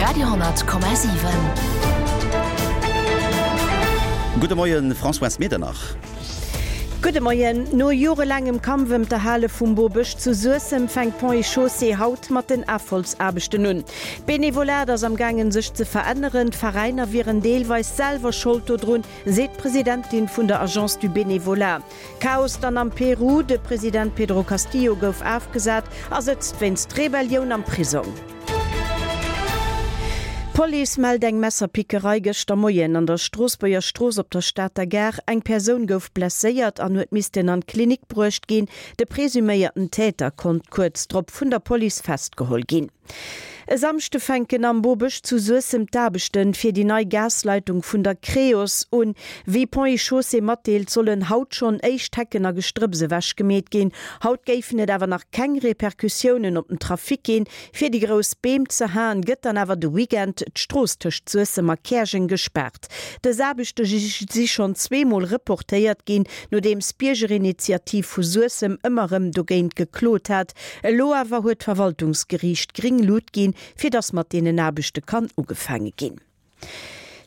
Radio,7. Gudde Moien, Françoise Medernach. Gudde Moien. No jorelaangem Kampf ëm d'Erhale vum Bobësch zu Suessem fänkt Ponts et Chaussées haut mat den Afholzaarbechten un. D'Benevolat ass am gaangen sech ze veränneren. D'Veräiner wieren deelweis selwer Schold dodrun, seet d'Presidentin vun der Agence du Bénévolat. Chaos dann am Peru, De President Pedro Castillo gouf afgesat a sëtzt wéinst Rebellioun am Prisong. D'Police mellt eng Messerpickerei gëschter Moien an der Stroossbuerger Strooss op der Stater Gare. Eng Persoun gouf blesséiert an huet missten an d'Klinik bruecht ginn. De presuméierten Täter konnt kuerz drop vun der Police festgeholl ginn. E Samschde fänken am Bobësch zu Suessem d'Aarbechte fir déi nei Gasleitung vun der Creos un. Wéi Ponts et Chaussées matdeelt, sollen haut schonn éischt Hecken a Gestrëpps ewech gemeet ginn. Haut géifen et awer nach keng Repercussiounen op den Trafic ginn. Fir déi grouss Beem ze haen, gëtt dann awer de Weekend d'Strooss tëscht Suessem a Käerjeng gespaart. Dës Aarbechte si schonn zweemol reportéiert ginn, nodeems d'Biergerinitiativ vu Suessem ëmmer erëm dogéint geklot hat. Elo awer huet d'Verwaltungsgeriicht gréng Lut ginn, fir datt mat deenen Aarbechte kann ugefaange ginn.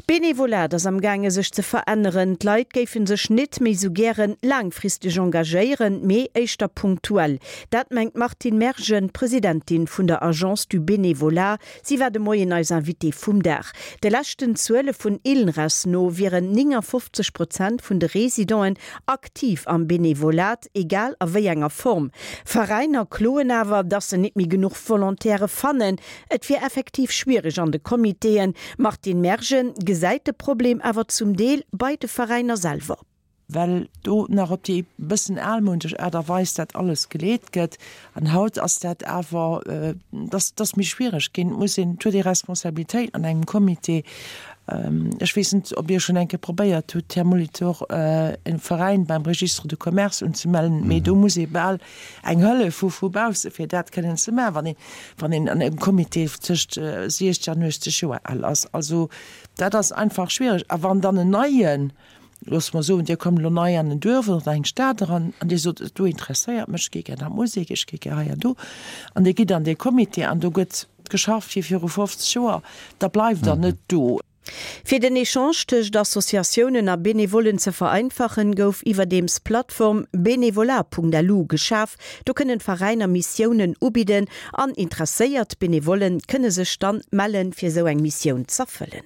D'Benevolat ass am gaange sech ze veränneren. D'Leit géife sech nit méi sou gären laangfristeg engagéieren, mee éischter punktuell. Dat mengt d'Martine Mergen, Presidentin vun der Agence du Bénévolat. Si war de Moien eis Invitée vum Dag. De leschten Zuele vun ILNRES no wieren 59 Prozent vun de Residenten aktiv am Benevolat. Egal a wéi enger Form. Veräiner kloen awer, dass se nit méi genuch Volontaire fannen. Et wier effektiv schwiereg an de Comitéen. D'Martine Mergen gesäit de Problem awer zum Deel bei de Veräiner selwer. Well do nach op déi bëssen almounesch Aart a Weis dat alles geleet gëtt. An haut ass dat awer, dass dass méi schwiereg ginn. Et muss een, et huet ee Responsabilitéit an engem Comité. Ech weess net, ob Dir schonn eng Kéier probéiert hutt, Här Molitor, e Veräin beim Registre de commerce unzemellen, mee do muss ee bal eng Hëllef hu vu bausse fir dat kënnen ze maachen, wann een, wann een an engem Comité tëscht 60 an 80 Joer al ass. Also dat ass einfach schwiereg. A wann dann en neien, loosse mer soen, Dir kommt elo nei an en Duerf oder an eng Stad eran an Dir sot, do interesséiert mech, ech gi gär an d'Musek, ech gi gär hei an do, an Dir gitt an dee Comité an do gëtt Geschafft wéi viru 50 Joer, da bleift der net do. Fir den Echange tëscht Associatiounen a Benevollen ze vereinfachen, gouf iwwerdeems d'Plattform benevolat.lu geschaf. Do kënnen d'Veräiner Missiounen ubidden an interesséiert Benevollen kënne sech dann mellen, fir esou eng Missioun z'erfëllen.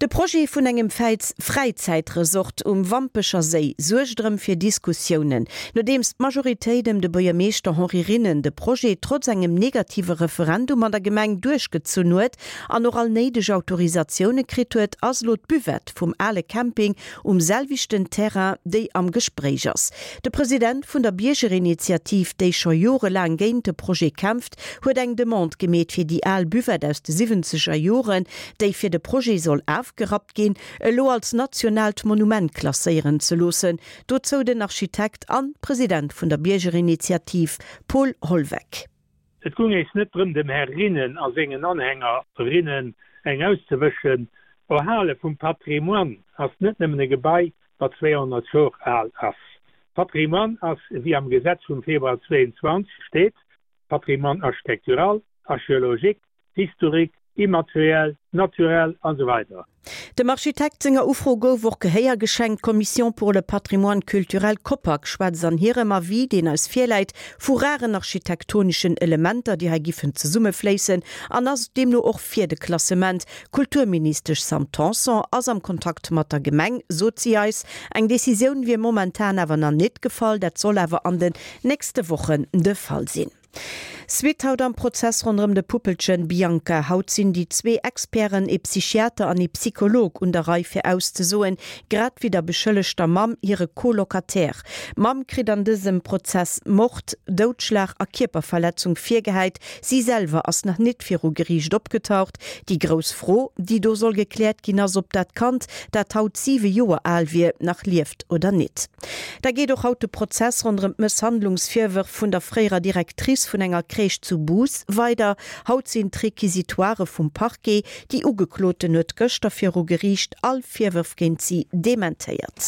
De Projet vun engem Fräizäitresort um Wampecher Séi suergt erëm fir Diskussiounen. Nodeems d'Majoritéit ëm de Buergermeeschter Henri Rinnen de Projet trotz engem negative Referendum an der Gemeng duerchgezunn huet an och all néideg Autorisatioune kritt huet, ass elo d'Buvette vum ale Camping um selwechten Terrain déi am Gespréich ass. De President vun der Biergerinitiativ, déi scho jorelaang géint de Projet kämpft, huet eng Demande gemeet fir déi al Buvette aus de siwwenzeger Joren, déi fir de Projet soll afgerappt ginn, elo als nationaalt Monument klasséieren ze loossen. Dozou den Architekt an President vun der Biergerinitiativ Paul Holweck. Et gung éis net drëm dem Här Rinnen a sengen Anhänger rinnen eng auszewëschen. Erhale vum Patrimoine ass net nëmmen e Gebai wat 200 Jor al ass. Patrimoine ass, wéi am Gesetz vum Februar 22 steet, Patrimoine architectural, archéologique, historique, immateriel, naturel an esou weider. Dem Architekt senger Ufro gouf och Gehéier geschenkt. D'Commission pour le patrimoine culturel, COPAC, schwätzt an hirem Avis, deen eis virläit, vu raren architektoneschen Elementer, déi hei giffen zesummefléissen an ass deemno och fir de Klassement. D'Kulturministesch Sam Tanson ass am Kontakt mat der Gemeng, sot si eis. Eng Decisioun wier momentan awer nach nit gefall, dat soll awer an den nächste Wochen de Fall sinn. Suite haut am Prozess ronderëm de Puppelchen Bianca. Haut sinn déi zwee Experten, ee Psychiater an ee Psycholog, un der Rei fir auszesoen, grad wéi der beschëllegter Mamm hire Co-Locataire. D'Mamm kritt an dësem Prozess Mord, Doudschlag a Kierperverletzung virgehäit. Si selwer ass nach nit viru Geriicht opgetaucht. Déi grouss Fro, déi do soll gekläert ginn, ass, ob dat Kand, dat haut 7 Joer al wier, nach lieft oder nit. Da geet och haut de Prozess ronderëm d'Mësshandlungsvirwërf vun der fréierer Directrice vun enger Crèche zu Bous weider. Haut sinn d'Requisitoirë vum Parquet. Déi Ugekloten huet gëschter viru Geriicht all Virwërf géint si dementéiert.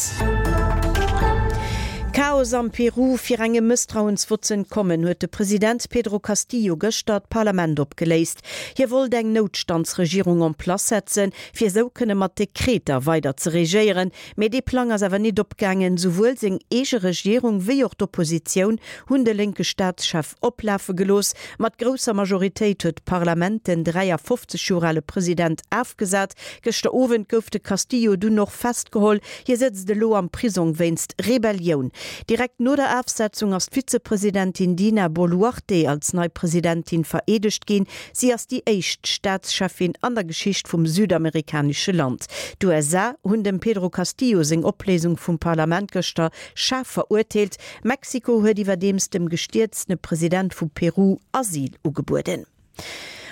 Chaos am Peru, Fir engem Mësstrauensvott ze entkommen, huet de President Pedro Castillo gëschter d'Parlament opgeléist. Hie wollt eng Noutstandsregierung en place setzen, fir esou kënne mat Dekreter weider ze regéieren. Mee dee Plang ass awer nit opgaangen. Souwuel seng eege Regierung wéi och d'Oppositioun hunn de lénke Staatschef oplafe gelooss. Mat grousser Majoritéit huet d'Parlament den 53 Joer ale President afgesat. Gëschter Owend gouf de Castillo dunn och festgeholl. Hie sëtzt elo am Prisong wéinst Rebellioun. Direkt no der Afsetzung ass d'Vizepresidentin Dina Boluarte als nei Presidentin vereedegt ginn. Si ass déi éischt Staatscheffin an der Geschicht vum südamerikanesche Land. D'USA hunn dem Pedro Castillo seng Opléisung vum Parlament gëschter schaarf verurteelt. Mexiko huet iwwerdeems dem gestierztene President vu Peru Asyl ugebueden.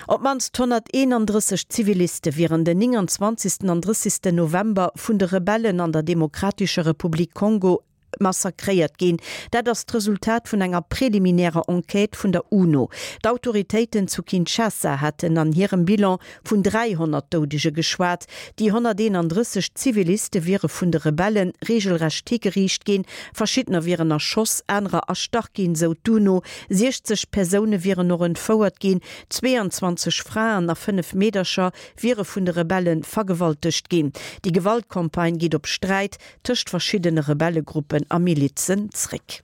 Op d'mannst 131 Ziviliste wieren den 29. an 30. November vun de Rebellen an der Demokratescher Republik Kongo massakréiert ginn. Dat ass d'Resultat vun enger preliminärer Enquête vun der UNO. D'Autoritéiten zu Kinshasa haten an hirem Bilan vun 300 Doudege geschwat. Déi 131 Ziviliste wiere vun de Rebelle reegelrecht higeriicht ginn, verschiddener wieren erschoss, anerer erstach ginn, sou d'UNO. 60 Persoune wieren och entfouert ginn, 22 Fraen a 5 Meedercher wiere vun de Rebelle vergewaltegt ginn. Déi Gewaltcampagne geet op Sträit tëscht verschiddene Rebellegruppen a Milizen zréck.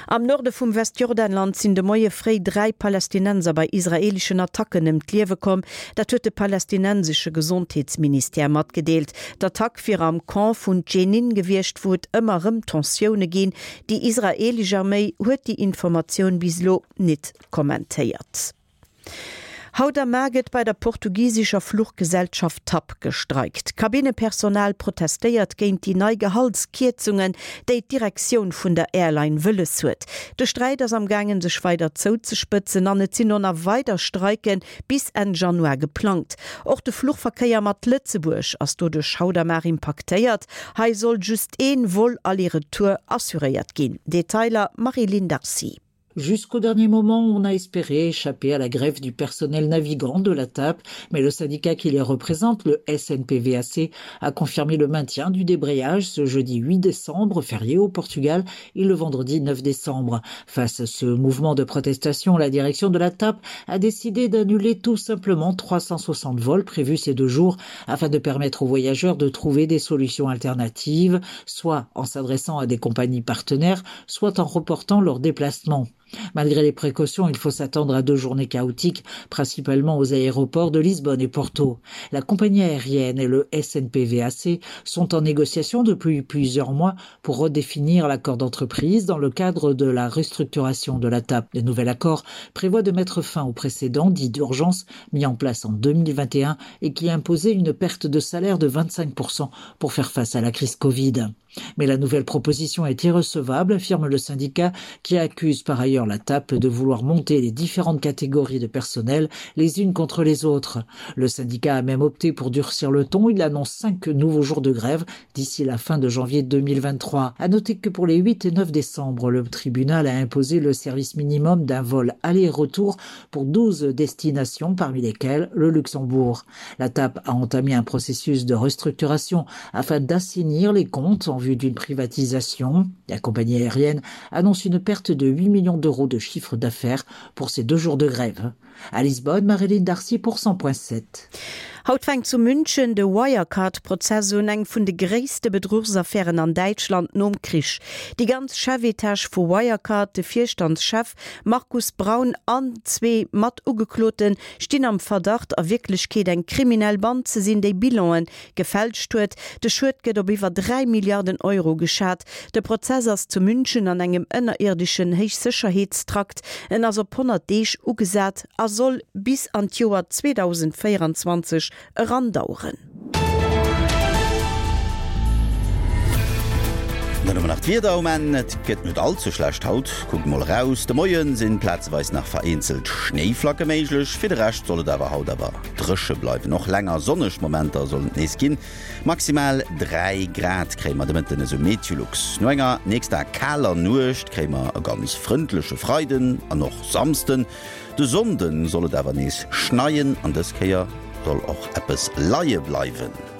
Am Norde vum Westjordanland sinn de Moie fréi 3 Palästinenser bei israeeleschen Attacken ëm d'Liewe komm. Dat huet de palästinensesche Gesondheetsministère matgedeelt. D'Attack wier am Camp vun Dschenin gewiescht, wou et ëmmer erëm Tensioune ginn. Déi israeelesch Arméi huet déi Informatioun bis elo nit kommentéiert. Haut a mar gëtt bei der portugisescher Fluchgesellschaft TAP gestreikt. D'Kabinnepersonal protestéiert géint déi nei Gehaltskierzungen, déi d'Direktioun vun der Airline wëlles huet. De Sträit ass am gaangen sech weider zouzespëtzen an et sinn och nach weider Streike bis Enn Januar geplangt. Och de Fluchverkéier mat Lëtzebuerg ass doduerch haut a mar impaktéiert. Hei soll just een Vol aller-retour assuréiert ginn. Detailer Marie-Line Darcy. Jusqu'au dernier moment, on a espéré échapper à la grève du personnel navigant de la TAP, mais le syndicat qui les représente, le SNPVAC, a confirmé le maintien du débrayage ce jeudi 8 décembre, férié au Portugal, et le vendredi 9 décembre. Face à ce mouvement de protestation, la direction de la TAP a décidé d'annuler tout simplement 360 vols prévus ces deux jours afin de permettre aux voyageurs de trouver des solutions alternatives, soit en s'adressant à des compagnies partenaires, soit en reportant leur déplacement. Malgré les précautions, il faut s'attendre à deux journées chaotiques, principalement aux aéroports de Lisbonne et Porto. La compagnie aérienne et le SNPVAC sont en négociation depuis plusieurs mois pour redéfinir l'accord d'entreprise dans le cadre de la restructuration de la TAP. Le nouvel accord prévoit de mettre fin au précédent dit d'urgence mis en place en 2021 et qui imposait une perte de salaire de 25% pour faire face à la crise Covid. Mais la nouvelle proposition est irrecevable, affirme le syndicat qui accuse par ailleurs la TAP de vouloir monter les différentes catégories de personnel les unes contre les autres. Le syndicat a même opté pour durcir le ton. Il annonce cinq nouveaux jours de grève d'ici la fin de janvier 2023. À noter que pour les 8 et 9 décembre, le tribunal a imposé le service minimum d'un vol aller-retour pour 12 destinations parmi lesquelles le Luxembourg. La TAP a entamé un processus de restructuration afin d'assainir les comptes en vue d'une privatisation. La compagnie aérienne annonce une perte de 8 millions d'euros de chiffre d'affaires pour ces deux jours de grève. À Lisbonne, Marilyn Darcy pour 100.7. Haut fänkt zu München de Wirecard-Prozess un, eng vun de gréisste Bedruchsaffären an Däitschland nom Krich. Déi ganz Chefetage vu Wirecard, de Virstandschef Markus Braun an zwee Matugeklote stinn am Verdacht, a Wierklechkeet eng kriminell Band ze sinn, déi Bilanen gefälscht huet. De Schued gëtt op iwwer 3 Milliarden Euro geschat. De Prozess ass zu München an engem ënnerierdeschen Héichsécherheetstrakt. En ass op 100 Deeg ugesat a soll bis an d'Joer 2024 erandaueren. Dann hu mer nach d'Wieder um Enn. Et gëtt net all ze schlecht haut, kuckt mol eraus. De Moie sinn plazeweis nach vereenzelt Schnéiflacke méiglech, fir de Rescht soll et awer haut awer dréche bleiwen. Och länger sonneg Momenter sollen et nees ginn. Maximal 3 Grad kréie mer de Mëtten, esou Meteolux. No enger nächster kaler Nuecht kréie mer e ganz frëndleche Freiden an och Samsden. De Sonnde soll et awer nees schneien an dës Kéier soll och eppes leie bleiwen.